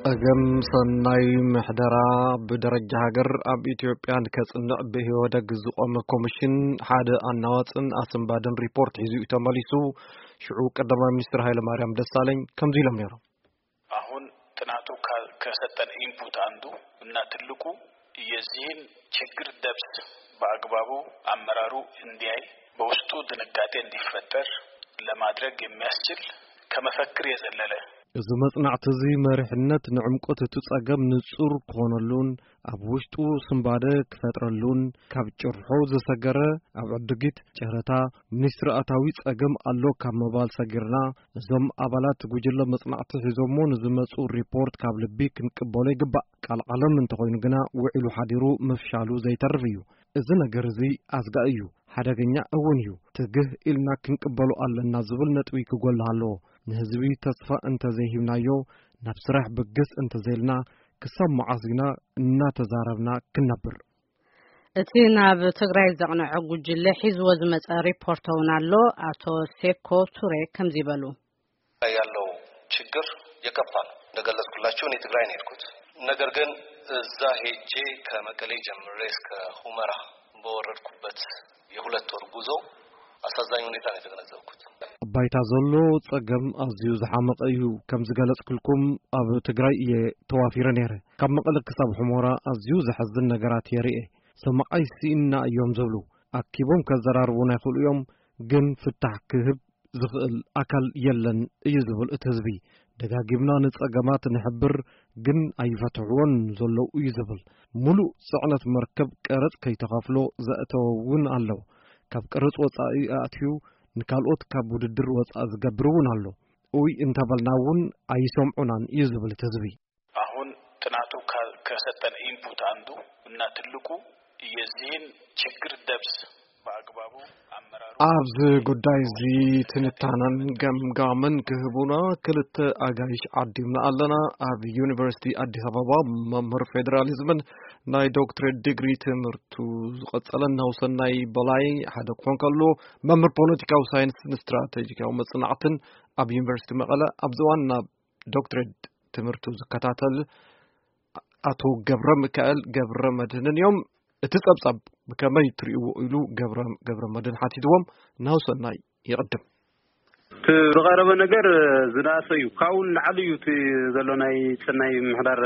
ጸገም ሰናይ ምሕደራ ብደረጃ ሃገር ኣብ ኢትዮጵያ ንከጽንዕ ብኢህወደግ ዝቖመ ኮሚሽን ሓደ ኣናዋጽን ኣስንባድን ሪፖርት ሒዙ እዩ ተመሊሱ። ሽዑ ቀዳማይ ሚኒስትር ሃይለማርያም ደሳለኝ ከምዚ ኢሎም ነይሮም። አሁን ጥናቱ ከ- ከሰጠን ኢንፑት አንዱ እና ትልቁ የዚህን ችግር ደብስ በአግባቡ አመራሩ እንዲያይ በውስጡ ድንጋጤ እንዲፈጠር ለማድረግ የሚያስችል ከመፈክር የዘለለ። እዚ መጽናዕቲ እዚ መሪሕነት ንዕምቆት እቲ ጸገም ንጹር ክኾነሉን ኣብ ውሽጡ ስንባደ ክፈጥረሉን ካብ ጭርሖ ዝሰገረ ኣብ ዕድጊት ጨረታ ሚኒስትሪ ኣታዊ ጸገም ኣሎ ካብ ምባል ሰጊርና፣ እዞም ኣባላት ጉጅለ መጽናዕቲ ሒዞሞ ንዝመጹ ሪፖርት ካብ ልቢ ክንቅበሎ ይግባእ። ቃል ዓለም እንተኾይኑ ግና ውዒሉ ሓዲሩ ምፍሻሉ ዘይተርፍ እዩ። እዚ ነገር እዚ ኣስጋኢ እዩ፣ ሓደገኛ እውን እዩ። ትግህ ኢልና ክንቅበሎ ኣለና ዝብል ነጥቢ ክጎልህ ኣለዎ። ንህዝቢ ተስፋ እንተዘይሂብናዮ፣ ናብ ስራሕ ብግስ እንተዘይልና፣ ክሳብ መዓስ ኢና እናተዛረብና ክንነብር? እቲ ናብ ትግራይ ዘቕንዐ ጉጅለ ሒዝዎ ዝመጸ ሪፖርት እውን ኣሎ። ኣቶ ሴኮ ቱሬ ከምዚ በሉ። ያለው ችግር የከፋ ነው። እንደገለጽኩላችሁ እኔ ትግራይ ነው የሄድኩት። ነገር ግን እዛ ሄጄ ከመቀሌ ጀምሬ እስከ ሁመራ በወረድኩበት የሁለት ወር ጉዞ አሳዛኝ ሁኔታ ነው የተገነዘብኩት። ባይታ ዘሎ ጸገም ኣዝዩ ዝሓመቐ እዩ። ከም ዝገለጽኩልኩም ኣብ ትግራይ እየ ተዋፊረ ነይረ። ካብ መቐለ ክሳብ ሑመራ ኣዝዩ ዘሐዝን ነገራት የርኢ። ሰማዓይ ስኢንና እዮም ዝብሉ። ኣኪቦም ከዘራርቡና ይኽእሉ እዮም፣ ግን ፍታሕ ክህብ ዝኽእል ኣካል የለን እዩ ዝብል እቲ ህዝቢ። ደጋጊምና ንጸገማት ንሕብር፣ ግን ኣይፈትሕዎን ዘለዉ እዩ ዝብል። ሙሉእ ጽዕነት መርከብ ቀረጽ ከይተኸፍሎ ዘእተወ እውን ኣሎ። ካብ ቀረጽ ወጻኢ ኣእትዩ ንካልኦት ካብ ውድድር ወጻኢ ዝገብር እውን ኣሎ። እውይ እንተበልና እውን ኣይሰምዑናን እዩ ዝብል እቲ ህዝቢ። አሁን ጥናቱ ከ- ከሰጠን ኢንፑት አንዱ እና ትልቁ የዚህን ችግር ደብስ በአግባቡ አመራሩ ኣብዚ ጉዳይ እዚ ትንታነን ገምጋምን ክህቡና ክልተ ኣጋይሽ ዓዲምና ኣለና። ኣብ ዩኒቨርሲቲ ኣዲስ ኣበባ መምህር ፌዴራሊዝምን ናይ ዶክትሬት ዲግሪ ትምህርቱ ዝቐጸለን ናሁሰናይ በላይ ሓደ ክኾን ከሎ፣ መምህር ፖለቲካዊ ሳይንስን ስትራቴጂካዊ መጽናዕትን ኣብ ዩኒቨርሲቲ መቐለ፣ ኣብዚ እዋን ናብ ዶክትሬት ትምህርቱ ዝከታተል ኣቶ ገብረ ሚካኤል ገብረ መድህንን እዮም። እቲ ጸብጻብ ብከመይ ትርእይዎ ኢሉ ገብረ ገብረ መድህን ሓቲትዎም። ናሁሰናይ ይቕድም። እቲ ዝቐረበ ነገር ዝነኣሰ እዩ። ካብኡ ንላዕሊ እዩ እቲ ዘሎ ናይ ሰናይ ምሕዳር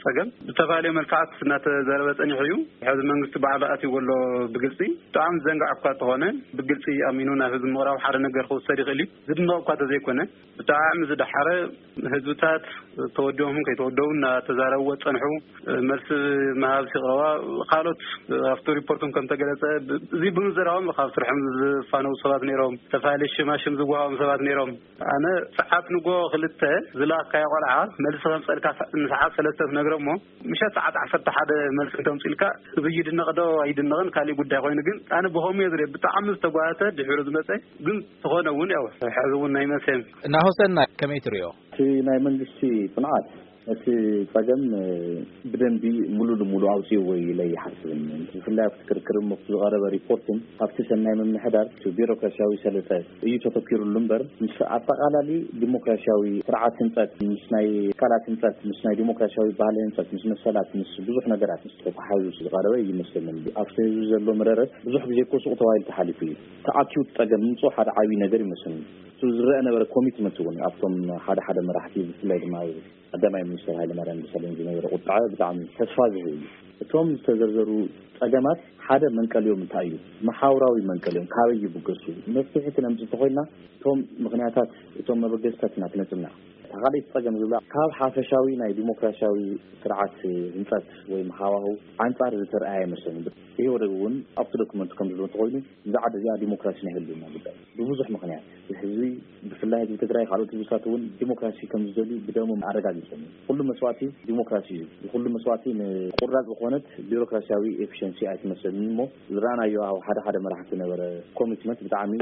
ጸገም። ብዝተፈላለዩ መልክዓት እናተዛረበ ጸኒሑ እዩ። ሕዚ መንግስቲ ባዕሉ ኣትይዎ ኣሎ ብግልጺ። ብጣዕሚ ዘንጋዕ እኳ እንተኾነ ብግልጺ ኣሚኑ ናብ ህዝቢ ምቕራብ ሓደ ነገር ክውሰድ ይኽእል እዩ። ዝድነቕ እኳ እንተዘይኮነ ብጣዕሚ ዝደሓረ ህዝብታት ተወዲቦምን ከይተወደቡ እናተዛረብዎ ጸንሑ። መልሲ ምሃብ ሲቕረባ ካልኦት ኣብቲ ሪፖርቶም ከም ተገለጸ ብ- እዚ ብምዝራቦም ካብ ስርሖም ዝፋነው ሰባት ነይሮም። ዝተፈላለዩ ሽማሽም ዝወሃቦም ሰባት ነይሮም። ኣነ ሰዓት ንጎ ክልተ ዝለኣካዮ ቆልዓ መልሲ ከምፀልካ ሰ- ንሰዓት ሰለስተ ትነግሮ እሞ ምሸት ሰዓት ዓሰርተ ሓደ መልሲ እንተምፅልካ እዚ ይድነቕ ዶ ኣይድነቕን ካሊእ ጉዳይ ኮይኑ ግን ኣነ ብኸምኡ እየ ዝሪኦ። ብጣዕሚ ዝተጓተተ ድሕሩ ዝመፀ ግን ዝኾነ እውን ያው ሕዚ እውን ናይ መሰም ናሆሰና ከመይ ትሪኦ? እቲ ናይ መንግስቲ ፅንዓት እቲ ጸገም ብደንቢ ሙሉ ንሙሉ ኣውፅእዎ ኢለ ይሓስብን። ብፍላይ ኣብቲ ክርክር እሞ ዝቐረበ ሪፖርትን ኣብቲ ሰናይ ምምሕዳር እቲ ቢሮክራሲያዊ ሰለጠ እዩ ተተኪሩሉ እምበር ምስ ኣጠቓላሊ ዲሞክራሲያዊ ስርዓት ህንፀት ምስ ናይ ትካላት ህንፀት ምስ ናይ ዲሞክራሲያዊ ባህሊ ህንፀት ምስ መሰላት ምስ ብዙሕ ነገራት ምስ ተተሓዙ ዝቐረበ ይመስለኒ። ኣብቲ ህዝቢ ዘሎ መረረት ብዙሕ ግዜ እኮ ሱቕ ተባሂሉ ተሓሊፉ እዩ። ተኣኪቡ ጸገም ምምፅኡ ሓደ ዓብዪ ነገር ይመስለኒ። እቲ ዝረአ ነበረ ኮሚትመንት እውን ኣብቶም ሓደ ሓደ መራሕቲ ብፍላይ ድማ ቀዳማይ ሚኒስትር ሃይለማርያም ደሳለኝ ዝነበረ ቁጥዐ ብጣዕሚ ተስፋ ዝህብ እዩ። እቶም ዝተዘርዘሩ ጸገማት ሓደ መንቀሊኦም እንታይ እዩ? መሓውራዊ መንቀሊኦም ካበይ ይብገሱ? መፍትሒ ክነምጽእ እንተኾይንና እቶም ምኽንያታት እቶም መበገስታት ኢና ክነጽንዕ። እታ ካልኣይቲ ጸገም ዝብላ ካብ ሓፈሻዊ ናይ ዲሞክራሲያዊ ስርዓት ህንጸት ወይ ሃዋህው ኣንጻር ዝተርኣየ ኣይመስለንን። ኢህወደግ እውን ኣብቲ ዶክመንቱ ከም ዝብሎ እንተኾይኑ እዛ ዓዲ እዚኣ ዲሞክራሲ ናይ ህልውና ጉዳይ ብብዙሕ ምኽንያት ህዝቢ ብፍላይ ህዝቢ ትግራይ ካልኦት ህዝብታት እውን ዲሞክራሲ ከም ዝደልዩ ብደሞም ኣረጋጊጾም እዮም። ኩሉ መስዋእቲ ዲሞክራሲ እዩ። ኩሉ መስዋእቲ ንቁራፅ ዝኾነት ቢሮክራሲያዊ ኤፊሽንሲ ኣይትመስለንን እሞ ዝረኣናዮ ኣብ ሓደ ሓደ መራሕቲ ነበረ ኮሚትመንት ብጣዕሚ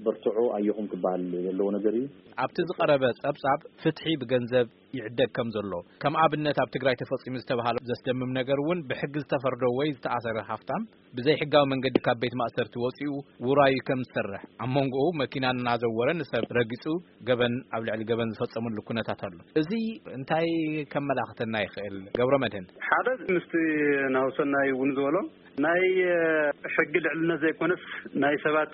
በርትዑ ኣየኹም ክበሃል ዘለዎ ነገር እዩ። ኣብቲ ዝቐረበ ጸብጻብ ፍትሒ ብገንዘብ ይዕደግ ከም ዘሎ፣ ከም ኣብነት ኣብ ትግራይ ተፈጺሙ ዝተባህለ ዘስደምም ነገር እውን ብሕጊ ዝተፈርዶ ወይ ዝተኣሰረ ሃፍታም ብዘይ ሕጋዊ መንገዲ ካብ ቤት ማእሰርቲ ወጺኡ ውራዩ ከም ዝሰርሕ፣ ኣብ መንጎኡ መኪና እናዘወረ ንሰብ ረጊጹ ገበን ኣብ ልዕሊ ገበን ዝፈጸመሉ ኩነታት ኣሎ። እዚ እንታይ ከመላኽተና ይኽእል? ገብረ መድህን። ሓደ ምስቲ ናሁሰናይ እውን ዝበሎ ናይ ሕጊ ልዕልነት ዘይኮነስ ናይ ሰባት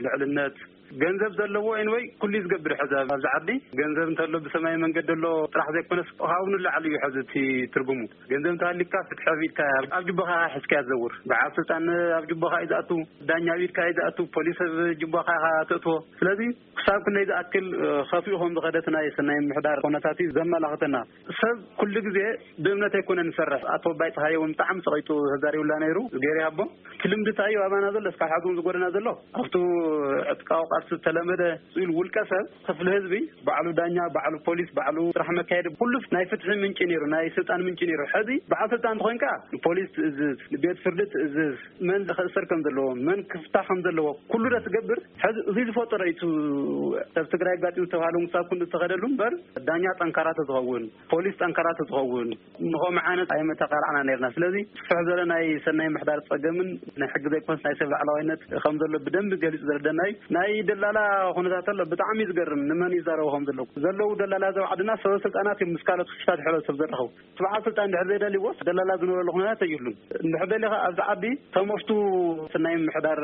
ልዕልነት፣ ገንዘብ ዘለዎ ኤንወይ ኩሉ እዩ ዝገብር። ሕዚ ኣብዚ ዓዲ ገንዘብ እንተሎ ብሰማይ መንገዲ ኣሎ ጥራሕ ዘይኮነስ ካብኡ ንላዕሊ እዩ። ሕዚ እቲ ትርጉሙ ገንዘብ እንተሃሊካ ፍትሒ ኣቢልካ ኣብ ጅቦኻ ሒዝካ ትዘውር። በዓል ስልጣን ኣብ ጅቦኻ እዩ ዝኣቱ፣ ዳኛ ኣቢልካ እዩ ዝኣቱ፣ ፖሊስ ኣብ ጅቦኻ ኢኻ ተእትዎ። ስለዚ ክሳብ ክንደይ ዝኣክል ከፊኡ ከም ዝኸደት ናይ ሰናይ ምሕዳር ኩነታት እዩ ዘመላኽተና። ሰብ ኩሉ ግዜ ብእምነት ኣይኮነን ዝሰርሕ። ኣቶ ኣባይ ፀሃየ እውን ብጣዕሚ ፀቂጡ ተዛሪቡላ ነይሩ። ገይሩ ይሃቦ እቲ ልምዲ እንታይ እዩ ኣባና ዘሎ፣ እስካብ ሕዚ እውን ዝጎደና ዘሎ ኣብቲ ዕጥቃዊ ቃልሲ ዝተለመደ ኢሉ ውልቀ ሰብ ክፍሊ ህዝቢ ባዕሉ ዳኛ፣ ባዕሉ ፖሊስ፣ ባዕሉ ስራሕ መካየዲ፣ ኩሉ ናይ ፍትሒ ምንጪ ነይሩ፣ ናይ ስልጣን ምንጪ ነይሩ። ሕዚ በዓል ስልጣን እንተኾይንካ ንፖሊስ ትእዝዝ፣ ንቤት ፍርዲ ትእዝዝ፣ መን ክእሰር ከም ዘለዎ፣ መን ክፍታ ከም ዘለዎ ኩሉ ዶ ትገብር? ሕዚ እዚ ዝፈጠሮ እዩ። እቲ ኣብ ትግራይ ኣጋጢሙ ዝተባህለ ምሳብ ክንዱ ዝተኸደሉ እምበር ዳኛ ጠንካራ ተዝኸውን፣ ፖሊስ ጠንካራ ተዝኸውን፣ ንኸምኡ ዓይነት ኣይመተቃላዕና ነርና። ስለዚ ስፍሕ ዝበለ ናይ ሰናይ ምሕዳር ጸገምን ናይ ሕጊ ዘይኮነስ ናይ ሰብ ላዕላዋይነት ከም ዘሎ ብደንቢ ገሊጹ ዘረደና እዩ። ናይ ደላላ ኩነታት ኣሎ፣ ብጣዕሚ እዩ ዝገርም። ንመን ይዛረቡ ከም ዘለዉ ዘለዉ ደላላ ዘብ ዓድና ሰበ ስልጣናት እዮም ምስ ካልኦት ክፍታት ሕብረተሰብ ዘራኸቡ። እቲ በዓል ስልጣን እንድሕር ዘይደልይዎ ደላላ ዝነበረሉ ኩነታት የብሉን። እንድሕር ደሊኻ ኣብዚ ዓዲ ተመፍቱ ናይ ምሕዳር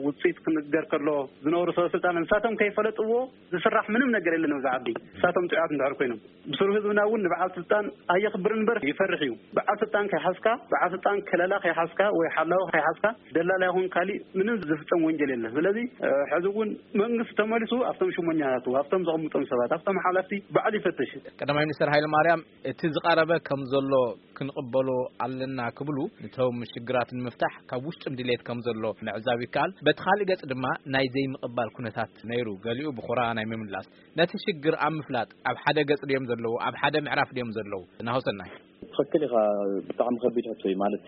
ውፅኢት ክንገር ከሎ ዝነበሩ ሰበ ስልጣን ንሳቶም ከይፈለጥዎ ዝስራሕ ምንም ነገር የለን ኣብዚ ዓዲ። ንሳቶም ጥዑያት እንድሕር ኮይኖም ብስሩ ህዝብና እውን ንበዓል ስልጣን ኣየኽብርን እምበር ይፈርሕ እዩ። በዓል ስልጣን ከይሓዝካ፣ በዓል ስልጣን ከለላ ከይሓዝካ ወይ ሓላዊ ከይሓዝካ ደላላ ይኹን ካሊእ ምንም ዝፍጸም ወንጀል የለን። ስለዚ ሕዚ እውን መንግስቲ ተመሊሱ ኣብቶም ሽሞኛታቱ፣ ኣብቶም ዘቐምጦም ሰባት፣ ኣብቶም ሓለፍቲ ባዕሉ ይፈትሽ። ቀዳማይ ሚኒስትር ሃይለ ማርያም እቲ ዝቐረበ ከም ዘሎ ክንቕበሎ ኣለና ክብሉ ንቶም ሽግራት ንምፍታሕ ካብ ውሽጥም ድሌት ከም ዘሎ ምዕዛብ ይከኣል። በቲ ካልእ ገጽ ድማ ናይ ዘይምቕባል ኩነታት ነይሩ። ገሊኡ ብኹራ ናይ ምምላስ ነቲ ሽግር ኣብ ምፍላጥ ኣብ ሓደ ገጽ ድዮም ዘለዉ፣ ኣብ ሓደ ምዕራፍ ድዮም ዘለዉ? ናሆሰናይ። ትኽክል ኢኻ። ብጣዕሚ ከቢድ ሕቶ እዩ። ማለት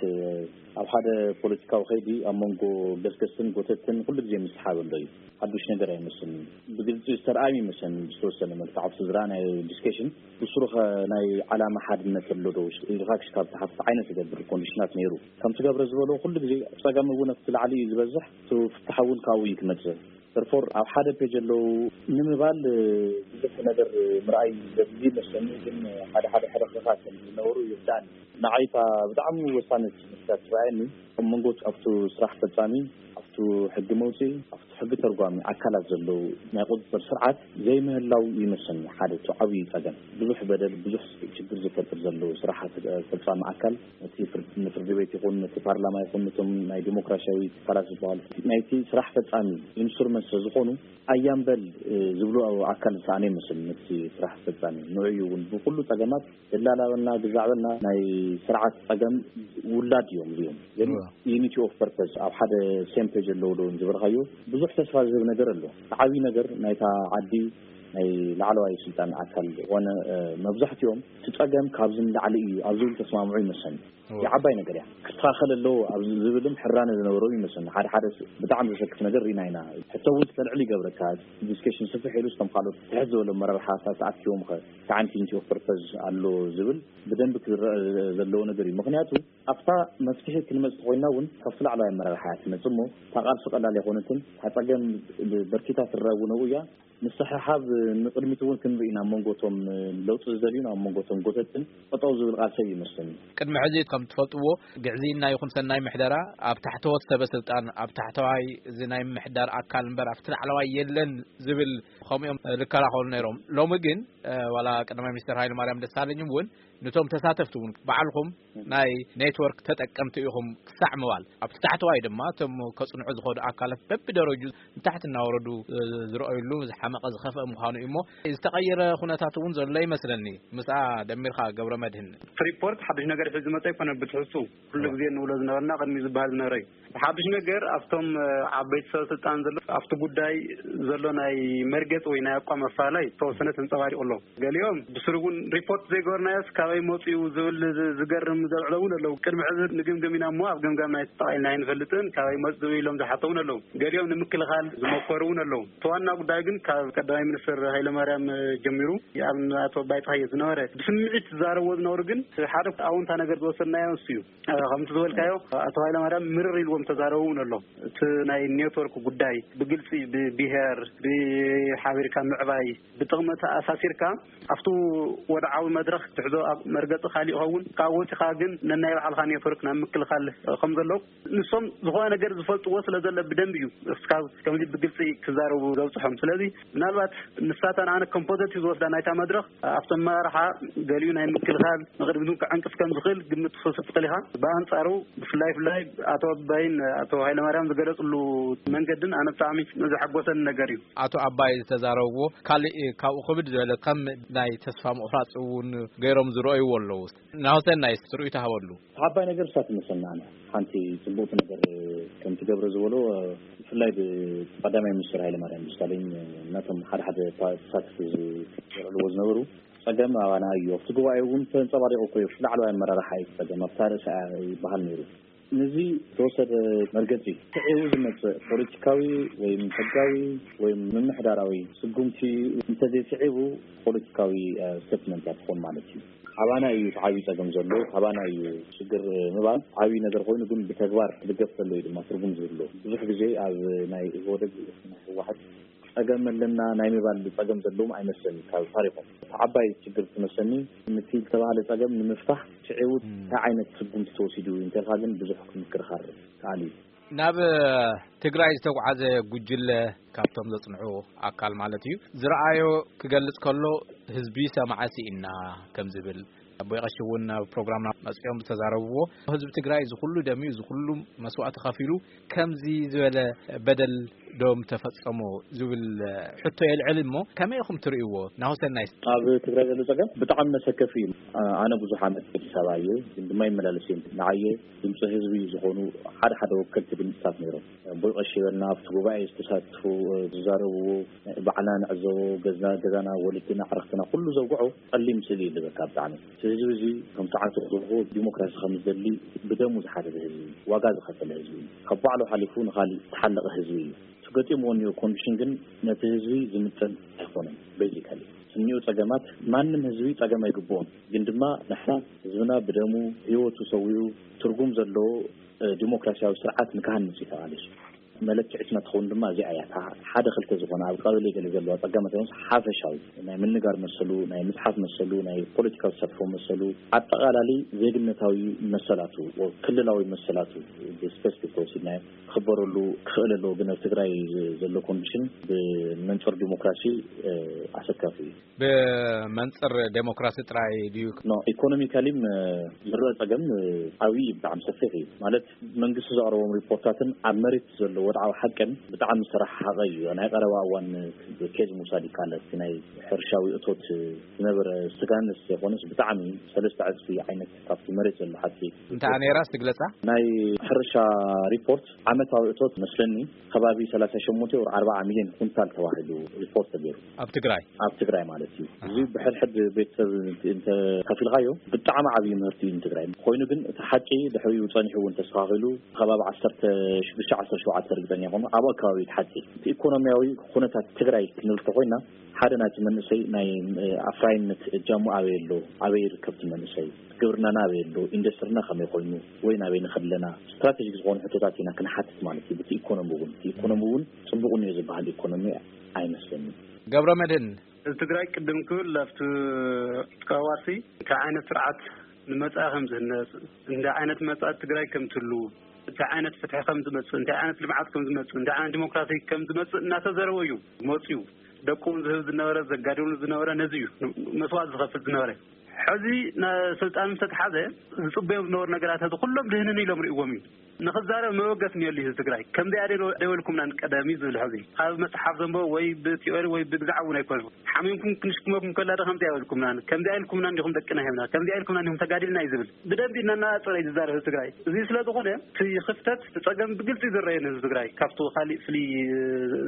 ኣብ ሓደ ፖለቲካዊ ከይዲ ኣብ መንጎ ገስገስትን ጎተትን ኩሉ ግዜ ምስሓብ ኣሎ እዩ። ሓዱሽ ነገር ኣይመስልን። ብግልፂ ዝተረኣዩ ይመስለኒ ብዝተወሰነ መልክዕ ኣብቲ ዝረኣናዮ ዲስከሽን ብስሩ ኸ ናይ ዓላማ ሓድነት ኣሎ ዶ ኢልካ ክሽካብ ትሓትት ዓይነት ዝገብር ኮንዲሽናት ነይሩ። ከምቲ ገብረ ዝበሎ ኩሉ ግዜ ፀገም እውን ኣብቲ ላዕሊ እዩ ዝበዝሕ፣ እቲ ፍታሕ እውን ካብኡ እዩ ክመፅእ። ተርፎር ኣብ ሓደ ፔጅ ኣለዉ ንምባል ብዙሕ ነገር ምርኣይ ዘድሊ መስለኒ። ግን ሓደ ሓደ ሕርክርካት ዝነበሩ ይርዳእኒ። ንዓይታ ብጣዕሚ ወሳነት መስላት ትረኣየኒ ኣብ መንጎ ኣብቱ ስራሕ ፈጻሚ፣ ኣብቱ ሕጊ መውፅኢ፣ ኣብቱ ሕጊ ተርጓሚ ኣካላት ዘለዉ ናይ ቁፅፅር ስርዓት ዘይምህላው ይመስለኒ ሓደ እቲ ዓብዪ ፀገም። ብዙሕ በደል ብዙሕ ችግር ዝፈጥር ዘለዉ ስራሕ ፈጻሚ ኣካል እቲ ፍርድ- ንፍርዲ ቤት ይኹን ነቲ ፓርላማ ይኹን ነቶም ናይ ዲሞክራሲያዊ ትካላት ዝበሃሉ ናይቲ ስራሕ ፈጻሚ ኢንስትሩመንት ስለ ዝኾኑ ኣያምበል ዝብሉ ኣካል ዝሰኣነ ይመስል። ነቲ ስራሕ ፈጻሚ ንዑ እዩ እውን ብኩሉ ጸገማት ደላላ በልና ግዛዕ በልና ናይ ስርዓት ጸገም ውላድ እዮም እዚኦም። ግን ዩኒቲ ኦፍ ፐርፐስ ኣብ ሓደ ሴም ፔጅ ኣለዉ ዶ ዝበልካዮ ብዙሕ ተስፋ ዝህብ ነገር ኣሎ። ዓብዪ ነገር ናይታ ዓዲ ናይ ላዕለዋይ ስልጣን ኣካል ዝኾነ መብዛሕትኦም እቲ ጸገም ካብዚ ንላዕሊ እዩ ኣብ ዝብል ተስማምዑ ይመስለኒ። እያ ዓባይ ነገር እያ። ክስተኻኸል ኣለዎ ኣብ ዝብልም ሕራነ ዝነበሮ ይመስለኒ። ሓደ ሓደ ብጣዕሚ ዘሰክፍ ነገር ርኢና ኢና። ሕቶ እውን ክተልዕል ይገብረካ። ዲስከሽን ስፍሕ ኢሉ ስቶም ካልኦት ትሕት ዝበለ መራርሓታት ተኣኪቦም ኸ ተዓንቲ ዩኒቲ ኦፍ ፐርፐዝ ኣሎ ዝብል ብደንቢ ክዝረእ ዘለዎ ነገር እዩ። ምክንያቱ ኣብታ መፍትሒ ክንመፅ ተኮይና እውን ካብቲ ላዕለዋይ ኣመራርሓ እያ ትመፅእ እሞ እታ ቃልሲ ቀላል ኣይኮነትን። እታ ፀገም በርኪታ ትረአ እውን ኣብኡ እያ። ምስሕሓብ ንቕድሚት እውን ክንርኢ ኢና። ኣብ መንጎ እቶም ለውጢ ዝደልዩን ኣብ መንጎ እቶም ጎተትን ጠጠው ዝብል ቃልሲ እዩ ይመስለኒ። ቅድሚ ሕዚ ከም ትፈልጥዎ ግዕዝይና ይኹን ሰናይ ምሕደራ ኣብ ታሕተዎት ሰበ ስልጣን ኣብ ታሕተዋይ እዚ ናይ ምሕዳር ኣካል እምበር ኣብቲ ላዕለዋይ የለን ዝብል ከምኡ እዮም ዝከራኸሩ ነይሮም። ሎሚ ግን ዋላ ቀዳማይ ሚኒስትር ሃይለ ማርያም ደሳለኝ እውን ንቶም ተሳተፍቲ እውን ባዕልኹም ናይ ኔትወርክ ተጠቀምቲ ኢኹም ክሳዕ ምባል ኣብቲ ታሕተዋይ ድማ እቶም ከፅንዑ ዝኸዱ ኣካላት በብደረጁ ንታሕቲ እናወረዱ ዝረኣዩሉ ዝሓመቐ ዝኸፍአ ምዃኑ እዩ እሞ ዝተቐየረ ኩነታት እውን ዘሎ ይመስለኒ። ምስኣ ደሚርካ ገብረ መድህን። ሪፖርት ሓድሽ ነገር ሒዙ ዝመፀ ኣይኮነ ብትሕዝቱ ኩሉ ግዜ እንብሎ ዝነበርና ቅድሚ ዝበሃል ዝነበረ እዩ። ሓድሽ ነገር ኣብቶም ዓበይቲ ሰብ ስልጣን ዘሎ ኣብቲ ጉዳይ ዘሎ ናይ መርገፂ ወይ ናይ ኣቋም ኣፈላላይ ዝተወሰነ ተንፀባሪቑ ኣሎ። ገሊኦም ብስሩ እውን ሪፖርት ዘይገበርናዮስ ካብ ካበይ መፅኡ ዝብል ዝ- ዝገርም ዘልዕሎ እውን ኣለዉ። ቅድሚ ሕዚ ንግምግም ኢና እሞ ኣብ ገምጋም ናይ ተጠቓኢልና ኣይንፈልጥን፣ ካበይ መፅኡ ኢሎም ዝሓተውን ኣለዉ። ገሊኦም ንምክልኻል ዝመከሩ እውን ኣለዉ። እቲ ዋና ጉዳይ ግን ካብ ቀዳማይ ሚኒስትር ሃይለማርያም ጀሚሩ ኣብ ኣቶ ኣባይ ፀሃየ ዝነበረ ብስምዒት ዝዛረብዎ ዝነበሩ ግን ሓደ ኣውንታ ነገር ዝወሰድናዮ እሱ እዩ። ከምቲ ዝበልካዮ ኣቶ ሃይለማርያም ምርር ኢልዎም ተዛረቡ እውን ኣሎ። እቲ ናይ ኔትወርክ ጉዳይ ብግልፂ ብብሄር ብሓቢርካ ምዕባይ ብጥቕሚ ተኣሳሲርካ ኣብቲ ወድዓዊ መድረኽ ትሕዞ ኣብ መርገፂ ካሊእ ይኸውን። ካብ ወፂኻ ግን ነናይ ባዕልኻ ኔትወርክ ናብ ምክልኻል ከም ዘሎ ንሶም ዝኾነ ነገር ዝፈልጥዎ ስለ ዘለ ብደንብ እዩ እስካብ ከምዚ ብግልፂ ክዛረቡ ዘብፅሖም። ስለዚ ምናልባት ንሳታ ንኣነ ከም ፖዘቲቭ ዝወስዳ ናይታ መድረኽ ኣብቲ ኣመራርሓ ገሊኡ ናይ ምክልኻል ንቕድሚት እውን ክዕንቅፍ ከም ዝኽእል ግምት ክትወስድ ትኽእል ኢኻ። ብኣንፃሩ ብፍላይ ፍላይ ኣቶ ኣባይን ኣቶ ሃይለማርያም ዝገለፅሉ መንገድን ኣነ ብጣዕሚ ዘሐጎሰኒ ነገር እዩ። ኣቶ ኣባይ ዝተዛረብዎ ካልእ ካብኡ ክብድ ዝበለ ከም ናይ ተስፋ ምቑራፅ እውን ገይሮም ዝረእይዎ ኣለዉ። ናሁሰናይ ትርእዩ ተሃበሉ። ዓባይ ነገር እሳ ትመስለና ኣነ ሓንቲ ፅቡቕቲ ነገር ከም ትገብረ ዝበሎ ብፍላይ ብቀዳማይ ሚኒስትር ሃይለማርያም ደሳለኝ እናቶም ሓደ ሓደ ፓ- ተሳተፍቲ ዘልዕልዎ ዝነበሩ ፀገም ኣባና እዩ። ኣብቲ ጉባኤ እውን ተንፀባሪቑ እኮ እዩ። ኣብቲ ላዕለዋይ ኣመራርሓ እዩ እቲ ፀገም ኣብታ ርእሲ ይበሃል ነይሩ። ነዚ ዝተወሰደ መርገፂ ስዒቡ ዝመፅእ ፖለቲካዊ ወይም ሕጋዊ ወይም ምምሕዳራዊ ስጉምቲ እንተዘይስዒቡ ፖለቲካዊ ስቴትመንት እያ ትኾን ማለት እዩ። ኣባና እዩ እቲ ዓብዪ ፀገም ዘሎ፣ ኣባና እዩ ሽግር ምባል ዓብዪ ነገር ኮይኑ ግን ብተግባር ክድገፍ ከሎ እዩ ድማ ትርጉም ዝህልዎ። ብዙሕ ግዜ ኣብ ናይ ኢህወደግ ናይ ህወሓት ፀገም ኣለና ናይ ምባል ፀገም ዘለዎም ኣይመስለኒ ካብ ታሪኮም። እቲ ዓባይ ሽግር ትመስለኒ ነቲ ዝተባህለ ፀገም ንምፍታሕ ስዒቡ እንታይ ዓይነት ስጉምቲ ተወሲዱ እዩ እንተልካ ግን ብዙሕ ክምክርኻር ከኣል እዩ። ናብ ትግራይ ዝተጓዓዘ ጉጅለ ካብቶም ዘፅንሑ ኣካል ማለት እዩ ዝረኣዮ ክገልፅ ከሎ ህዝቢ ሰማዐ ስኢና ከም ዝብል ኣቦይ ቀሺ እውን ኣብ ፕሮግራምና መፅኦም ዝተዛረብዎ ህዝቢ ትግራይ እዚ ኩሉ ደምዩ እዚ ኩሉ መስዋእቲ ከፊሉ ከምዚ ዝበለ በደል ዶም ተፈፀሞ ዝብል ሕቶ የልዕል እሞ ከመይ ኢኹም ትርእይዎ? ናሁሰናይ ኣብ ትግራይ ዘሎ ፀገም ብጣዕሚ መሰከፊ እዩ። ኣነ ብዙሕ ዓመት ኣዲስ ኣበባ እየ ግን ድማ ይመላለስ እየ። ንዓየ ድምፂ ህዝቢ ዝኾኑ ሓደ ሓደ ወከልቲ ድምፅታት ነይሮም። ኣቦይ ቀሺ በልና ኣብቲ ጉባኤ ዝተሳትፉ ዝዛረብዎ ባዕልና ንዕዘቦ ገዛና ወለድና ዕርክትና ኩሉ ዘውግዖ ፀሊም ስእሊ እዩ ዝህበካ። ብጣዕሚ እቲ ህዝቢ እዚ ከም ሰዓቱ ክዝርቦ ዲሞክራሲ ከም ዝደሊ ብደሙ ዝሓተተ ህዝቢ እዩ። ዋጋ ዝኸፈለ ህዝቢ እዩ። ካብ ባዕሉ ሓሊፉ ንኻሊእ ዝተሓለቐ ህዝቢ እዩ። እቲ ገጢምዎ እኒኦ ኮንዲሽን ግን ነቲ ህዝቢ ዝምጥን ኣይኮነን። ቤዚካሊ እኒኦ ፀገማት ማንም ህዝቢ ፀገም ኣይግብኦን። ግን ድማ ንሕና ህዝብና ብደሙ ህይወቱ ሰዊኡ ትርጉም ዘለዎ ዲሞክራሲያዊ ስርዓት ንክሃንፅ እዩ ተቓሊሱ። መለክዒትና ትኸውን ድማ እዚኣ እያ። እታ ሓደ ክልተ ዝኾነ ኣብ ቀበሌ ገለ ዘለዋ ፀገማት ይኹንስ ሓፈሻዊ ናይ ምንጋር መሰሉ ናይ ምፅሓፍ መሰሉ ናይ ፖለቲካዊ ተሳትፎ መሰሉ ኣጠቓላሊ ዜግነታዊ መሰላቱ ክልላዊ መሰላቱ ብስፔሲፊክ ተወሲድናዮ ክኽበረሉ ክኽእል ኣለዎ። ግን ኣብ ትግራይ ዘሎ ኮንዲሽን ብመንፅር ዲሞክራሲ ኣሰካፊ እዩ። ብመንፅር ዴሞክራሲ ጥራይ ድዩ? ኖ ኢኮኖሚካሊም ዝረአ ፀገም ዓብዪ እዩ። ብጣዕሚ ሰፊሕ እዩ። ማለት መንግስቲ ዘቕረቦም ሪፖርታትን ኣብ መሬት ዘሎ ወድዓዊ ሓቅን ብጣዕሚ ዝተረሓሓቐ እዩ። ናይ ቀረባ እዋን ኬዝ ምውሳድ ይከኣል። እቲ ናይ ሕርሻዊ እቶት ዝነበረ ስጋንስ ዘይኮነስ ብጣዕሚ ሰለስተ ዕፅፊ ዓይነት ካብቲ መሬት ዘሎ ሓቂ እንታይ ነይራ ስግለፃ? ናይ ሕርሻ ሪፖርት ዓመታዊ እቶት መስለኒ ከባቢ ሰላሳ ሸሞንተ ወር ኣርባዓ ሚልዮን ኩንታል ተባሂሉ ሪፖርት ተገይሩ። ኣብ ትግራይ ኣብ ትግራይ ማለት እዩ። እዚ ብሕድሕድ ቤተሰብ እንተ ከፊልካዮ ብጣዕሚ ዓብዪ ምህርቲ እዩ ንትግራይ። ኮይኑ ግን እቲ ሓቂ ድሕሪኡ ፀኒሑ እውን ተስተኻኺሉ ከባቢ ዓሰርተ ሽዱሽተ ዓሰርተ ሸውዓተ ርግፀኛ ይኾኑ ኣብ ኣከባቢ ሓቂ እቲ ኢኮኖሚያዊ ኩነታት ትግራይ ክንብል ተኮይና ሓደ ናይቲ መንእሰይ ናይ ኣፍራይነት እጃሙ ኣበይ ኣሎ ኣበይ ይርከብ እቲ መንእሰይ ግብርናና ኣበይ ኣሎ ኢንዱስትሪና ከመይ ኮይኑ ወይ ናበይ ንኸድ ኣለና ስትራቴጂክ ዝኾኑ ሕቶታት ኢና ክንሓትት ማለት እዩ። ብቲ ኢኮኖሚ እውን እቲ ኢኮኖሚ እውን ፅቡቕ እኒኦ ዝበሃል ኢኮኖሚ ኣይመስለኒ። ገብረ መድህን እዚ ትግራይ ቅድም ክብል ኣብቲ ተቃዋሲ እንታይ ዓይነት ስርዓት ንመፃኢ ከም ዝህነፅ እንታይ ዓይነት መፃኢ ትግራይ ከም ትህሉ እንታይ ዓይነት ፍትሒ ከም ዝመፅእ እንታይ ዓይነት ልምዓት ከም ዝመፅእ እንታይ ዓይነት ዲሞክራሲ ከም ዝመፅእ እናተዘረበ እዩ መፅኡ። ደቁ እውን ዝህብ ዝነበረ ዘጋድሉ ዝነበረ ነዚ እዩ መስዋእቲ ዝኸፍል ዝነበረ። ሕዚ ስልጣን ምስ ተትሓዘ ዝፅበዮም ዝነበሩ ነገራት ሕዚ ኩሎም ድህንን ኢሎም ርእዎም እዩ። ንኽዛረብ መበገስ እኒኦሉ ህዝቢ ትግራይ። ከምዚኣ ደ ደበልኩምናን ቀደም እዩ ዝብል ሕዚ ካብ መፅሓፍ ዘንበቡ ወይ ብቲዮሪ ወይ ብግዛዕ እውን ኣይኮነን። ሓሚምኩም ክንሽክመኩም ከላ ዶ ከምዚኣ ይበልኩምናን ከምዚኣ ኢልኩምናን ዲኹም ደቅና ሂብና ከምዚኣ ኢልኩምናን ዲኹም ተጋዲልና እዩ ዝብል። ብደንቢ እናናፀረ እዩ ዝዛረብ ህዝቢ ትግራይ። እዚ ስለ ዝኾነ እቲ ክፍተት እቲ ፀገም ብግልፂ ዝረየን ህዝቢ ትግራይ ካብቲ ካሊእ ፍልይ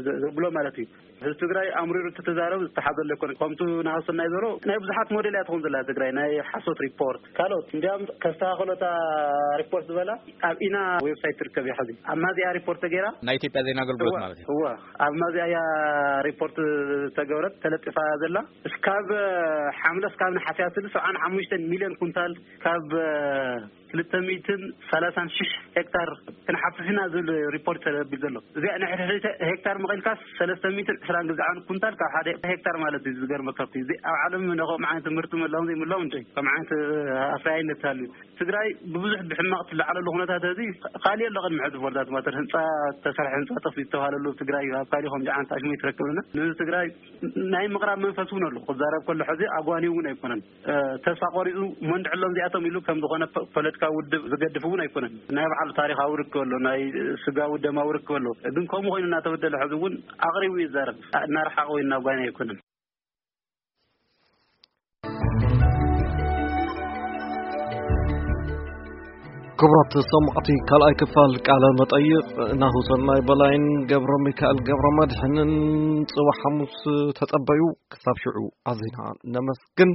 ዘ- ዘብሎ ማለት እዩ። ህዝቢ ትግራይ ኣምሪሩ እተተዛረብ ዝተሓዘለ ኣይኮነ። ከምቱ ናሃሰናይ ዘሮ ናይ ብዙሓት ሞዴል እያ ትኾን ዘላ ትግራይ ናይ ሓሶት ሪፖርት ካልኦት እንዲያም ከስተኻኸሎታ ሪፖርት ዝበላ ኣብ ኢና ዌብሳይት ትርከብ እያ። ሕዚ ኣብ ማዚያ ሪፖርት ተገይራ ናይ ኢትዮጵያ ዜና ኣገልግሎት እዋ ማለት እዩ። እዋ ኣብ ማዚያ እያ ሪፖርት ተገብረት ተለጢፋ ዘላ። እስካብ ሓምለ እስካብ ነሓሰ እያ ትብል ሰብዓን ሓሙሽተን ሚልዮን ኩንታል ካብ ክልተ ሚእትን ሰላሳን ሽሕ ሄክታር ክንሓፍስ ኢና ዝብል ሪፖርት ተለቢሉ ዘሎ። እዚኣ ናይ ሕድሕድ ሄክታር መቐልካስ ሰለስተ ሚእትን ዕስራን ግዛዓን ኩንታል ካብ ሓደ ሄክታር ማለት እዩ። ዝገርመካ እቲ እዚ ኣብ ዓለም ነኸም ዓይነት ምህርቲ ምህላዎም ዘይምህላዎም እንደ ከም ዓይነት ኣፍራያይነት ሃልዩ ትግራይ ብብዙሕ ብሕማቕ ትለዓለሉ ኩነታት እዚ ካሊእ ኣሎ። ቅድሚ ሕዚ ቦርዳት ማተር ህንፃ ተሰርሐ ህንፃ ጠፍ ዝተባሃለሉ ትግራይ ኣብ ካሊእ ከም ጃዓንት ኣሽሞ ይትረክብና ንትግራይ ናይ ምቕራብ መንፈስ እውን ኣሎ። ክዛረብ ከሎ ሕዚ ኣጓኒ እውን ኣይኮነን። ተስፋ ቆሪፁ መንድዕሎም እዚኣቶም ኢሉ ከም ዝኾነ ፖለቲካዊ ውድብ ዝገድፍ እውን ኣይኮነን። ናይ ባዕሉ ታሪካዊ ርክብ ኣሎ፣ ናይ ስጋዊ ደማዊ ርክብ ኣሎ። ግን ከምኡ ኮይኑ እናተበደለ ሕዚ እውን ኣቕሪቡ ይዛረብ። እናረሓቐ ወይ እናጓይና ኣይኮነን። ክቡራት ሰማዕቲ፣ ካልኣይ ክፋል ቃለ መጠይቕ ናሁሰናይ በላይን ገብረ ሚካኤል ገብረ መድሕንን ጽባሕ ሓሙስ ተጸበዩ። ክሳብ ሽዑ ኣዚና ነመስግን።